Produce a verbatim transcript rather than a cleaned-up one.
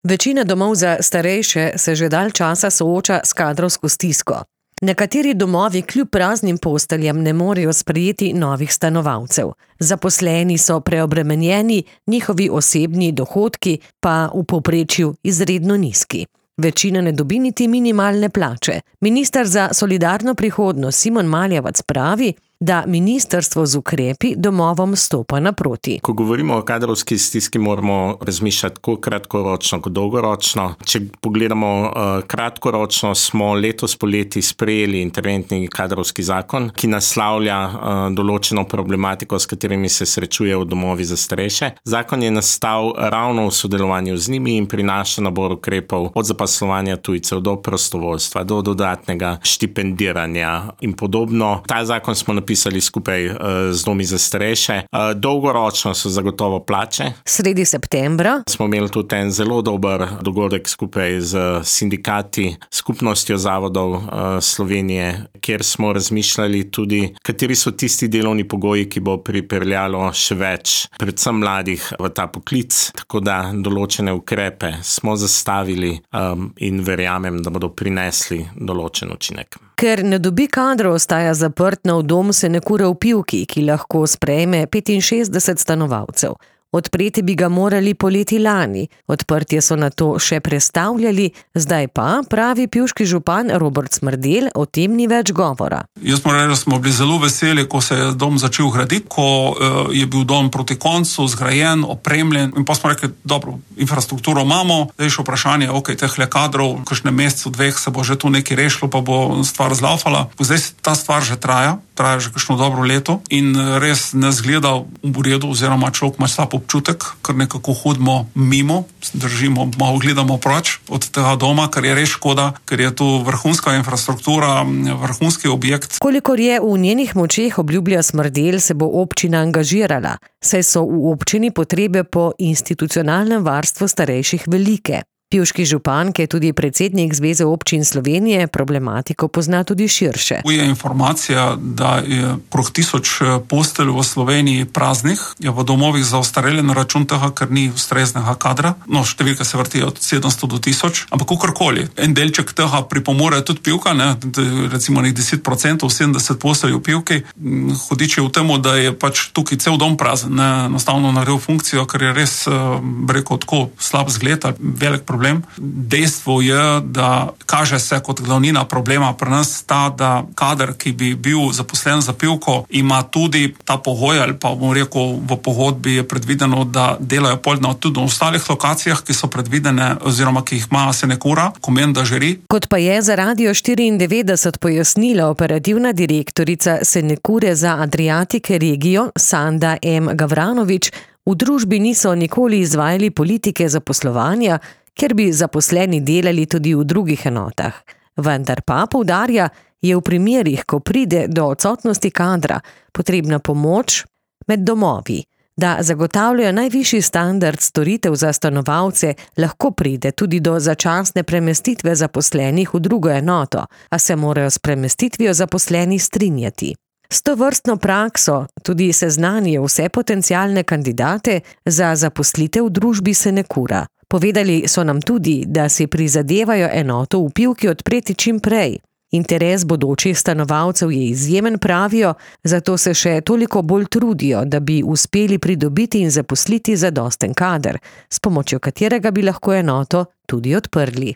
Večina domov za starejše se že dalj časa sooča s kadrovsko stisko. Nekateri domovi kljub praznim posteljem ne morejo sprejeti novih stanovalcev. Zaposleni so preobremenjeni, njihovi osebni dohodki pa v povprečju izredno nizki. Večina ne dobi niti minimalne plače. Minister za solidarno prihodnost Simon Maljevac pravi, da ministrstvo z ukrepi domovom stopa naproti. Ko govorimo o kadrovski stiski, moramo razmišljati tako kratkoročno kot dolgoročno. Če pogledamo uh, kratkoročno, smo letos poleti sprejeli interventni kadrovski zakon, ki naslavlja uh, določeno problematiko, s katerimi se srečujejo domovi za starejše. Zakon je nastal ravno v sodelovanju z njimi in prinaša nabor ukrepov od zaposlovanja tujcev do prostovoljstva, do dodatnega štipendiranja in podobno. Ta zakon smo napisali pisali skupaj uh, z domi za starejše. Uh, dolgoročno so zagotovo plače. Sredi septembra smo imeli tudi en zelo dober dogodek skupaj z sindikati, skupnostjo zavodov uh, Slovenije, kjer smo razmišljali tudi, kateri so tisti delovni pogoji, ki bo pripeljalo še več, predvsem mladih v ta poklic, tako da določene ukrepe smo zastavili um, in verjamem, da bodo prinesli določen učinek. Ker ne dobi kadrov, ostaja zaprt nov dom Senekure v Pivki, ki lahko sprejme petinšestdeset stanovalcev. Odpreti bi ga morali poleti lani, odprtje so nato še prestavljali, zdaj pa, pravi pivški župan Robert Smrdelj, o tem ni več govora. Jaz moram reči, da smo bili zelo veseli, ko se je dom začel graditi, ko uh, je bil dom proti koncu, zgrajen, opremljen in pa smo rekli, dobro, infrastrukturo imamo, zdaj še vprašanje, ok, tehle kadrov, v kakšnem mesecu, dveh se bo že tu nekaj rešilo, pa bo stvar zlaufala. Zdaj ta stvar že traja, traja že kakšno dobro leto in res ne zgleda v redu, oziroma človek ima slab občutek, ker nekako hodimo mimo, držimo, malo gledamo proč od tega doma, ker je res škoda, ker je tu vrhunska infrastruktura, vrhunski objekt. Kolikor je v njenih močeh, obljublja Smrdelj, se bo občina angažirala, saj so v občini potrebe po institucionalnem varstvu starejših velike. Pivški župan, ki je tudi predsednik Zveze občin Slovenije, problematiko pozna tudi širše. Tu je informacija, da je okrog tisoč postelj v Sloveniji praznih, je v domovih za ostarele na račun tega, ker ni ustreznega kadra. No, številka se vrti od sedemsto do tisoč, ampak kakorkoli. En delček tega pripomore tudi Pivka, ne, recimo nek deset procentov, sedemdeset postelj v Pivki. Hudič je v temu, da je pač tukaj cel dom prazen, ne, enostavno naredil funkcijo, ker je res, rekel, tako slab zgled, velik problem. Dejstvo je, da kaže se kot glavnina problema pri nas ta, da kader, ki bi bil zaposlen za Pivko, ima tudi ta pogoj, ali pa bom rekel, v pogodbi je predvideno, da delajo poljno tudi na ostalih lokacijah, ki so predvidene oziroma ki jih ima Senekura, Komen da žiri. Kot pa je za Radio štiriindevetdeset pojasnila operativna direktorica Senekure za Adriatike regijo Sanda M. Gavranovič, v družbi niso nikoli izvajali politike zaposlovanja, ker bi zaposleni delali tudi v drugih enotah. Vendar pa, poudarja, je v primerih, ko pride do odsotnosti kadra, potrebna pomoč med domovi. Da zagotavljajo najvišji standard storitev za stanovalce, lahko pride tudi do začasne premestitve zaposlenih v drugo enoto, a se morajo s premestitvijo zaposleni strinjati. S tovrstno prakso tudi seznanijo vse potencialne kandidate za zaposlitev v družbi Senekura. Povedali so nam tudi, da si prizadevajo enoto v Pivki odpreti čim prej. Interes bodočih stanovalcev je izjemen, pravijo, zato se še toliko bolj trudijo, da bi uspeli pridobiti in zaposliti zadosten kader, s pomočjo katerega bi lahko enoto tudi odprli.